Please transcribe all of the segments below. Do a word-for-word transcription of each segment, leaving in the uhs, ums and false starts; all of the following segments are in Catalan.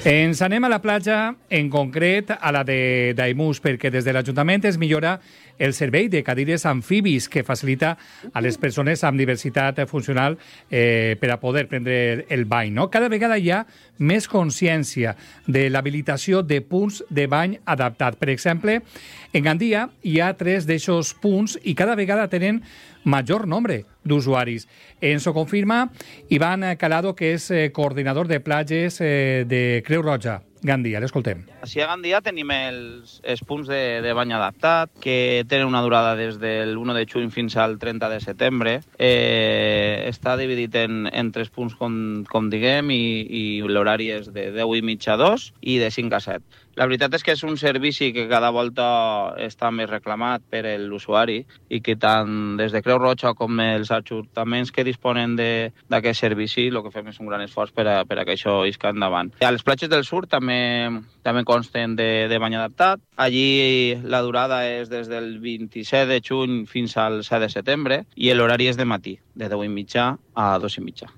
Ens anem a la platja, en concret a la de Daimús, perquè des de l'Ajuntament es millora el servei de cadires amfibis que facilita a les persones amb diversitat funcional eh, per a poder prendre el bany. No? Cada vegada hi ha més consciència de l'habilitació de punts de bany adaptat. Per exemple, en Gandia hi ha tres d'aixòs punts i cada vegada tenen major nombre d'usuaris. Ens ho confirma Ivan Calado, que és eh, coordinador de platges eh, de Creu Roja. Gandia, l'escoltem. Així a Gandia tenim els, els punts de, de bany adaptat, que tenen una durada des del u de juny fins al trenta de setembre. Eh, està dividit en, en tres punts, com, com diguem, i, i l'horari és de deu i mitja a dos i de cinc a set. La veritat és que és un servici que cada volta està més reclamat per l'usuari i que tant des de Creu Roja com els ajuntaments que disponen d'aquest servici el que fem és un gran esforç per a, per a que això isca endavant. A les platges del sud també, també consten de, de bany adaptat. Allí la durada és des del vint-i-set de juny fins al set de setembre i l'horari és de matí, de deu i mitja a dos i mitja.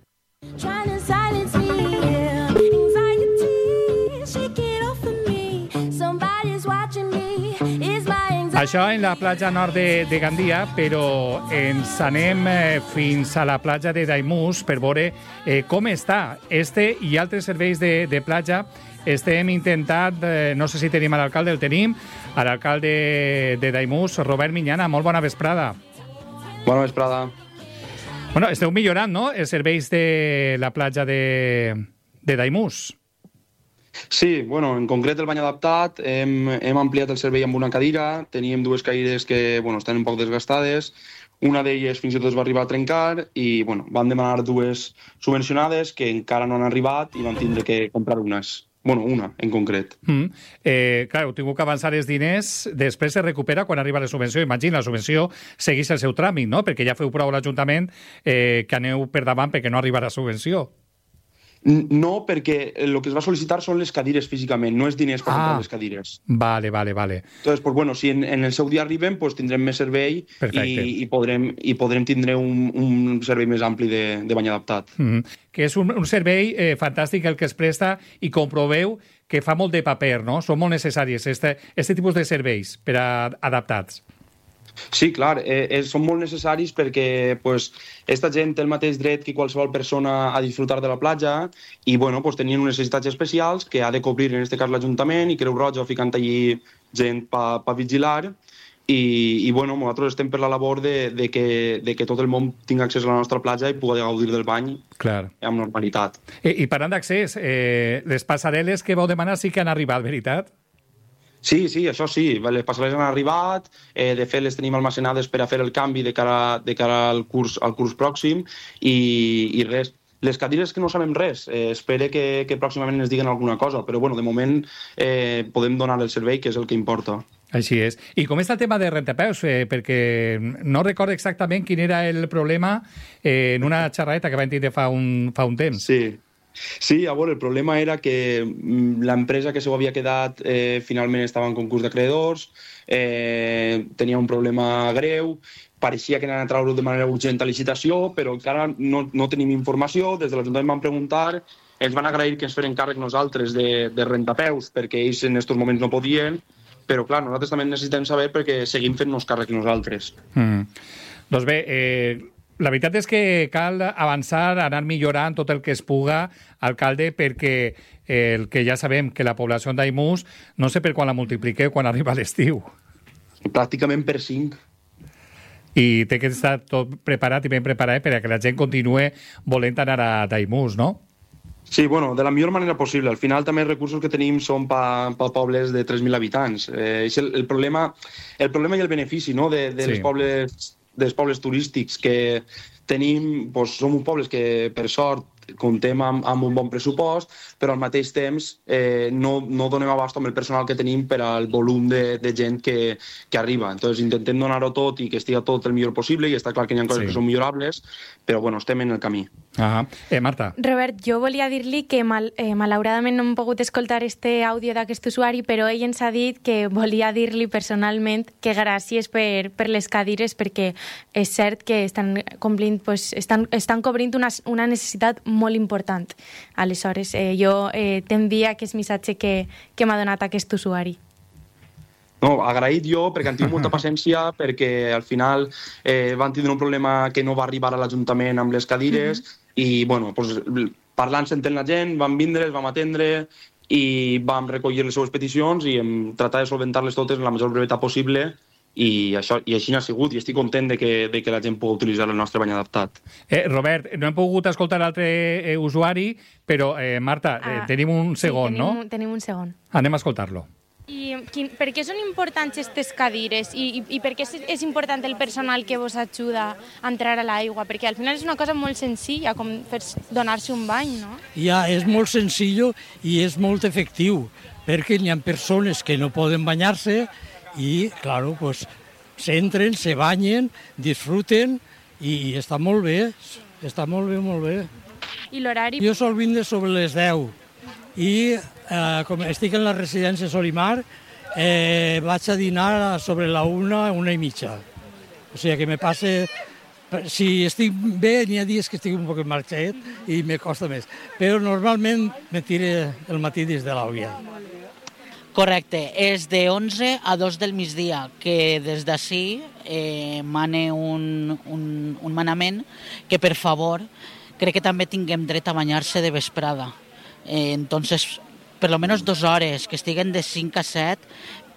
Això en la platja nord de, de Gandia, però ens anem eh, fins a la platja de Daimús per veure eh, com està este i altres serveis de, de platja. Estem intentant, eh, no sé si tenim a l'alcalde, el tenim, a l'alcalde de Daimús, Robert Miñana. Molt bona vesprada. Bona vesprada. Bueno, esteu millorant, no?, els serveis de la platja de, de Daimús. Sí, bueno, en concret el bany adaptat, hem, hem ampliat el servei amb una cadira, teníem dues cadires que bueno, estan un poc desgastades, una d'elles fins i tot es va arribar a trencar i bueno, van demanar dues subvencionades que encara no han arribat i van tindre que comprar unes. Bueno, una, en concret. Mm. Eh, clar, heu tingut que avançar els diners, després se recupera quan arriba la subvenció. Imagina, la subvenció segueix el seu tràmit, no?, perquè ja feu prou a l'Ajuntament eh, que aneu per davant perquè no arriba la subvenció. No, perquè el que es va sol·licitar són les cadires físicament, no és diners per ah, comprar les cadires. Vale, vale, vale. Entonces, pues bueno, si en, en el seu dia arriben, pues tindrem més servei i, i, podrem, i podrem tindre un, un servei més ampli de, de bany adaptat. Mm-hmm. Que és un, un servei eh, fantàstic el que es presta i comproveu que fa molt de paper, no? Són molt necessaris este, este tipus de serveis per a adaptats. Sí, clar, eh, eh, són molt necessaris perquè pues, esta gent té el mateix dret que qualsevol persona a disfrutar de la platja i bueno, pues, tenien unes necessitats especials que ha de cobrir en aquest cas l'Ajuntament i Creu Roja ficant allí gent per pa vigilar i, i bueno, nosaltres estem per la labor de, de, que, de que tot el món tingui accés a la nostra platja i pugui gaudir del bany clar. Amb normalitat. I, i parlant d'accés, eh, les passarel·les que vau demanar sí que han arribat, veritat? Sí, sí, això sí, les passarel·les han arribat, eh, de fet les tenim almacenades per a fer el canvi de cara, de cara al, curs, al curs pròxim i, i res. Les cadires que no sabem res, eh, espero que, que pròximament ens diguen alguna cosa, però bueno, de moment eh, podem donar el servei, que és el que importa. Així és. I com està el tema de rentapeus? Eh, perquè no recordo exactament quin era el problema eh, en una xerradeta que vam tindre fa un, fa un temps. Sí. Sí, a veure, el problema era que l'empresa que s'ho havia quedat eh, finalment estava en concurs d'acreedors, eh, tenia un problema greu, pareixia que anaven a treure-ho de manera urgent a licitació, però encara no, no tenim informació. Des de l'Ajuntament van preguntar, ens van agrair que ens feren càrrec nosaltres de, de rentapeus, perquè ells en aquests moments no podien, però clar, nosaltres també necessitem saber perquè seguim fent-nos càrrec nosaltres. Mm. Doncs bé, eh... la veritat és que cal avançar, anar millorant tot el que es puga, alcalde, perquè el que ja sabem que la població en Daimús, no sé per quan la multipliqueu quan arriba l'estiu. Pràcticament per cinc. I té que estar tot preparat i ben preparat per a que la gent continue volent anar a Daimús, no? Sí, bueno, de la millor manera possible. Al final també els recursos que tenim són per pa pobles de tres mil habitants. Eh, és el, el, problema, el problema i el benefici, no?, de, de sí. les pobles... dels pobles turístics que tenim, doncs, som un pobles que per sort comptem amb, amb un bon pressupost, però al mateix temps eh, no, no donem abast amb el personal que tenim per al volum de, de gent que, que arriba. Entonces intentem donar-ho tot i que estigui tot el millor possible i està clar que hi ha coses sí. que són millorables, però bueno, estem en el camí. Ah, eh, Marta. Robert, jo volia dir-li que mal, eh, malauradament no hem pogut escoltar este àudio d'aquest usuari, però ell ens ha dit que volia dir-li personalment que gràcies per, per les cadires, perquè és cert que estan complint, pues, estan, estan cobrint una, una necessitat molt molt important. Aleshores, eh, jo eh, t'envia aquest missatge que, que m'ha donat aquest usuari. No, agraït jo, perquè han tingut molta paciència, perquè al final eh, van tindre un problema que no va arribar a l'Ajuntament amb les cadires, uh-huh. i bueno, pues, parlant, sentent la gent, vam vindre, els vam atendre, i vam recollir les seues peticions i hem tratat de solventar-les totes en la major brevetat possible, i, això, i així n'ha sigut, i estic content de que, de que la gent pugui utilitzar el nostre bany adaptat. Eh, Robert, no hem pogut escoltar l'altre eh, usuari, però, eh, Marta, ah, eh, tenim un segon, sí, tenim, no? Tenim un segon. Anem a escoltar-lo. I quin, per què són importants aquestes cadires i, i, i per què és, és important el personal que vos ajuda a entrar a l'aigua? Perquè al final és una cosa molt senzilla, com fer donar-se un bany, no? Ja, és molt senzill i és molt efectiu, perquè hi ha persones que no poden banyar-se i, claro, pues, s'entren, se banyen, disfruten i, i està molt bé, està molt bé, molt bé. I l'horari? Jo sol vindre sobre les deu i eh, com estic en la residència Solimar, eh, vaig a dinar sobre la una, una i mitja. O sigui que me passe... Si estic bé, n'hi ha dies que estic un poc marxet i me costa més. Però normalment me tire el matí des de l'àvia. Correcte, és de onze a dos del migdia, que des d'ací eh, mane un, un, un manament que, per favor, crec que també tinguem dret a banyar-se de vesprada. Eh, entonces, per lo menos dos hores, que estiguen de cinc a set,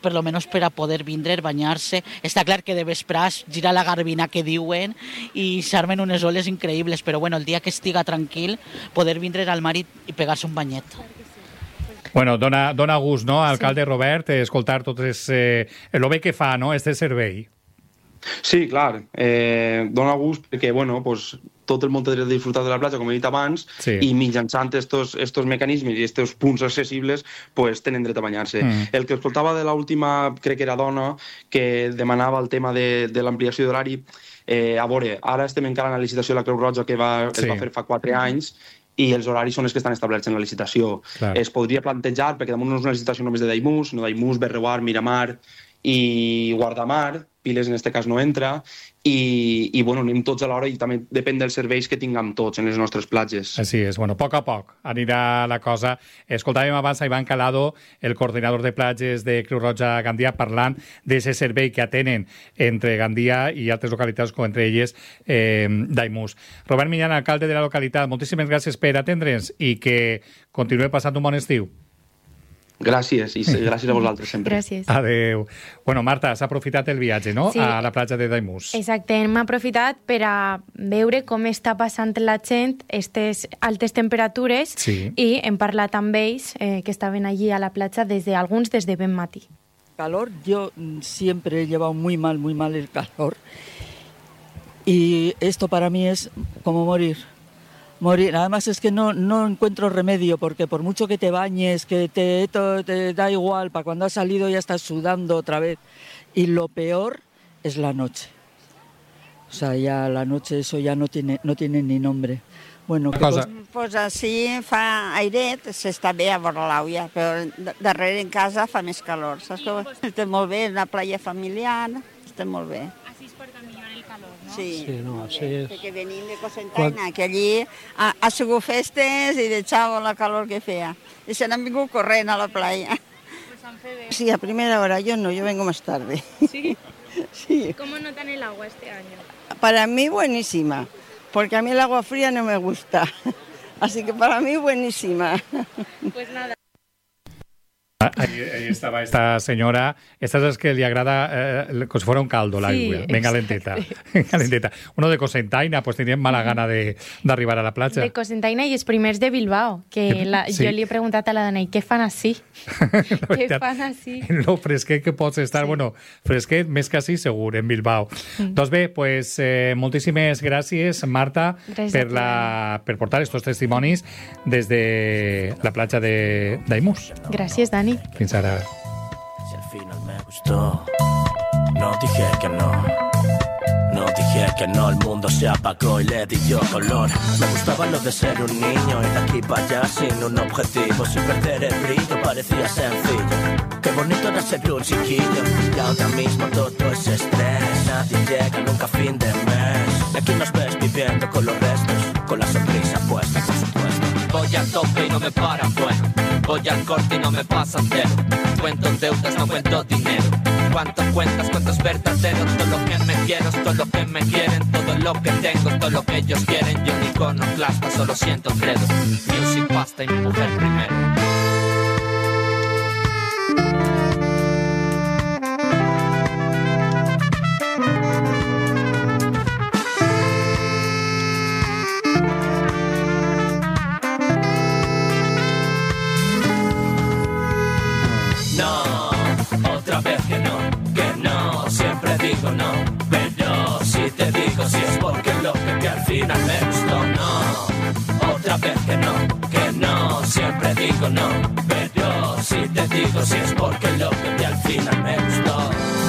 per lo menos per a poder vindre, banyar-se. Està clar que de vespràs gira la garbina que diuen i s'armen unes oles increïbles, però bueno, el dia que estiga tranquil, poder vindre al mar i, i pegar-se un banyet. Bueno, dona, dona gust, no, alcalde sí. Robert, escoltar tot es, eh, el bé que fa, no, este servei. Sí, clar, eh, dona gust perquè, bueno, pues, tot el món té dret de disfrutar de la platja, com he dit abans, sí. i mitjançant estos, estos mecanismes i estos punts accessibles, pues, tenen dret a banyar-se. Mm. El que escoltava de l'última, crec que era dona, que demanava el tema de, de l'ampliació d'horari, eh, a veure, ara estem encara en la licitació de la Creu Roja que va, sí. es va fer fa quatre anys, i els horaris són els que estan establerts en la licitació. Clar. Es podria plantejar, perquè damunt no és una licitació només de Daimús, sinó Daimús, Berreuar, Miramar i Guardamar, Piles en aquest cas no entra, i, i bueno, anem tots a l'hora i també depèn dels serveis que tinguem tots en les nostres platges. Així és, bueno, a poc a poc anirà la cosa. Escoltàvem abans a Ivan Calado, el coordinador de platges de Creu Roja Gandia, parlant d'aquest servei que atenen entre Gandia i altres localitats, com entre elles eh, Daimús. Robert Millán, alcalde de la localitat, moltíssimes gràcies per atendre'ns i que continuï passant un bon estiu. Gràcies, i gràcies a vosaltres sempre. Gràcies. Adéu. Bueno, Marta, has aprofitat el viatge, no?, sí. a la platja de Daimús. Exacte, hem aprofitat per a veure com està passant la gent aquestes altes temperatures sí. i hem parlat amb ells eh, que estaven allí a la platja desde alguns des de ben matí. Calor, yo siempre he llevado muy mal, muy mal el calor y esto para mí es como morir. Morir. Además es que no, no encuentro remedio porque por mucho que te bañes, que te, te, te da igual, para cuando has salido ya estás sudando otra vez. Y lo peor es la noche. O sea, ya la noche eso ya no tiene, no tiene ni nombre. Bueno, ¿qué cosa? Pues, pues així fa airet, s'està bé a vora l'àvia, però darrere en casa fa més calor, saps? Sí, estem molt bé, una playa familiar, estem molt bé. Així es porta millor el calor, no? Sí, sí no, així és. Perquè venim de Cocentaina, que allí ha, ha sigut festes i de xavo la calor que feia. I se n'han vingut corrent a la playa. Pues han fet bé. Sí, a primera hora, yo no, yo vengo más tarde. ¿Sí? Sí. ¿Cómo notan el agua este año? Para mí buenísima, porque a mí el agua fría no me gusta. Así que para mí buenísima. Pues nada. Ahí, ahí estaba esta señora. Esta es que le agrada eh, como si fuera un caldo la sí, agua. Venga lenteta. Venga lenteta. Uno de Cocentaina, pues tenía mala gana de, de arribar a la platja. De Cocentaina i els primers de Bilbao, que la, sí. jo li he preguntat a la dona, i què fan així? Què fan així? Lo fresquet que pots estar, sí. bueno, fresquet més que així segur, en Bilbao. Mm. Doncs bé, pues, eh, moltíssimes gràcies, Marta, gràcies per, la, per portar estos testimonis des de la platja de Daimús. Gràcies, Dani. Fins ara. Si al final me gustó, no dije que no. No dije que no, el mundo se apagó y le di yo color. Me gustaba lo de ser un niño, ir de aquí para allá sin un objetivo, sin perder el brillo, parecía sencillo. Qué bonito era ser un chiquillo, y ahora mismo todo es estrés. Nadie llega nunca a fin de mes, y aquí nos ves viviendo con los restos. con la sonrisa puesta, por supuesto. Voy al tope y no me paran, bueno. Voy al corte y no me pasan cero. Cuento deudas, no cuento dinero. Cuánto cuentas, cuánto es verdadero. Todo lo que me quiero es todo lo que me quieren. Todo lo que tengo es todo lo que ellos quieren. Yo ni iconoclasta, solo siento credo. Music, pasta y mi mujer primero. Digo no, pero si te digo si es porque lo que, que al final me gustó, no. Otra vez que no, que no, siempre digo no, pero si te digo si es porque lo que, que al final me gustó.